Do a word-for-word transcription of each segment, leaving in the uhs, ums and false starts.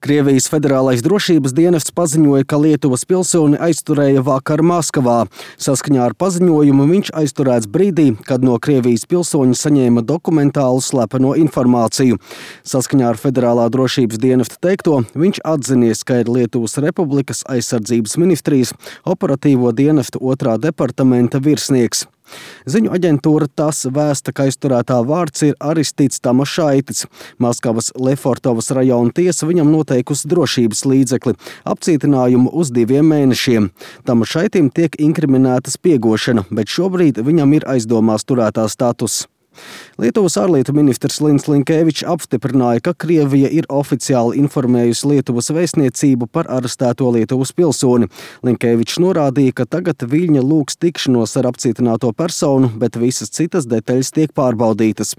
Krievijas Federālais drošības dienests paziņoja, ka Lietuvas pilsoni aizturēja vakar Maskavā. Saskaņā ar paziņojumu viņš aizturēts brīdī, kad no Krievijas pilsoņa saņēma dokumentālu slepeno informāciju. Saskaņā ar Federālā drošības dienesta teikto, viņš atzinies, ka ir Lietuvas Republikas aizsardzības ministrijas operatīvo dienestu otrā departamenta virsnieks. Ziņu aģentūra TASS vēsta, ka aizturētā vārds ir Aristids Tamašaitis. Maskavas Lefortovas rajona tiesa viņam noteikusi drošības līdzekli – apcietinājumu uz diviem mēnešiem. Tamašaitim tiek inkriminēta spiegošana, bet šobrīd viņam ir aizdomās turētā status. Lietuvas ārlietu ministrs Lins Linkevičs apstiprināja, ka Krievija ir oficiāli informējusi Lietuvas vēstniecību par arestēto Lietuvas pilsoni. Linkevičs norādīja, ka tagad Viļņa lūgs tikšanos ar apcietināto personu, bet visas citas detaļas tiek pārbaudītas.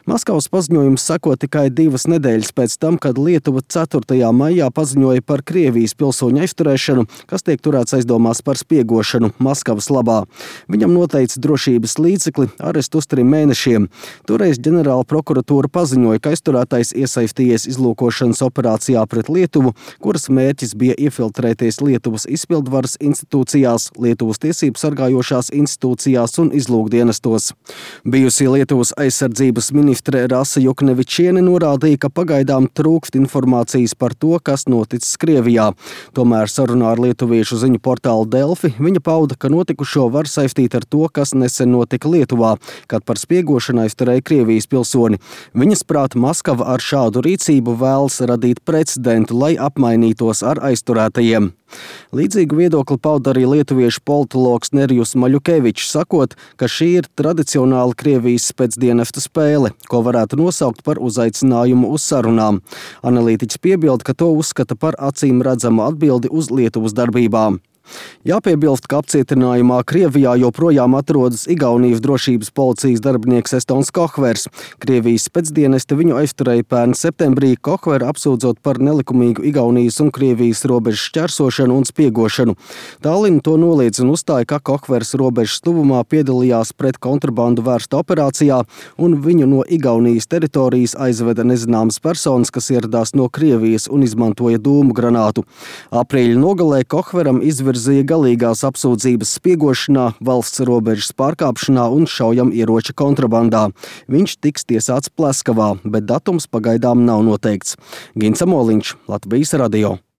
Maskavas paziņojums seko tikai divas nedēļas pēc tam, kad Lietuva ceturtajā maijā paziņoja par Krievijas pilsoņu aizturēšanu, kas tiek turēts aizdomās par spiegošanu Maskavas labā. Viņam noteica drošības līdzekli arestu uz trim mēnešiem. Toreiz ģenerāla prokuratūra paziņoja, ka aizturētais iesaistījies izlūkošanas operācijā pret Lietuvu, kuras mērķis bija iefiltrēties Lietuvas izpildvaras institūcijās, Lietuvas tiesību sargājošās institūcijās un izlūkdienestos. Bijusī Lietuvas aizsardzības ministre Rasa Juknevičiene norādīja, ka pagaidām trūkst informācijas par to, kas noticis Krievijā. Tomēr sarunā ar lietuviešu ziņu portālu Delfi viņa pauda, ka notikušo var saistīt ar to, kas nesen notika Lietuvā, kad par spiegošanu aizturēja Krievijas pilsoni. Viņas prāt, Maskava ar šādu rīcību vēlas radīt precedentu, lai apmainītos ar aizturētajiem. Līdzīgu viedokli pauda arī lietuviešu politologs Nerijus Maļukevičs, sakot, ka šī ir tradicionāla Krievijas spēcdienesta spēle, ko varētu nosaukt par uzaicinājumu uz sarunām. Analītiķis piebilda, ka to uzskata par acīm redzamu atbildi uz Lietuvas darbībām. Jāpiebilst, ka apcietinājumā Krievijā joprojām atrodas Igaunijas drošības policijas darbinieks Estons Kohvers. Krievijas spēcdienesti viņu aizturēja pērn septembrī, Kohveru apsūdzot par nelikumīgu Igaunijas un Krievijas robežas šķērsošanu un spiegošanu. Tallinna to noliedz un uzstāja, ka Kohvers robežas tuvumā piedalījās pret kontrabandu vērsta operācijā un viņu no Igaunijas teritorijas aizveda nezināmas personas, kas ieradās no Krievijas un izmantoja dūmu granātu. Aprīļa nogalē Kohveram izvirzīja galīgās apsūdzības spiegošanā, valsts robežas pārkāpšanā un šaujamieroča kontrabandā. Viņš tiks tiesāts Pleskavā, bet datums pagaidām nav noteikts. Gins Amoliņš, Latvijas radio.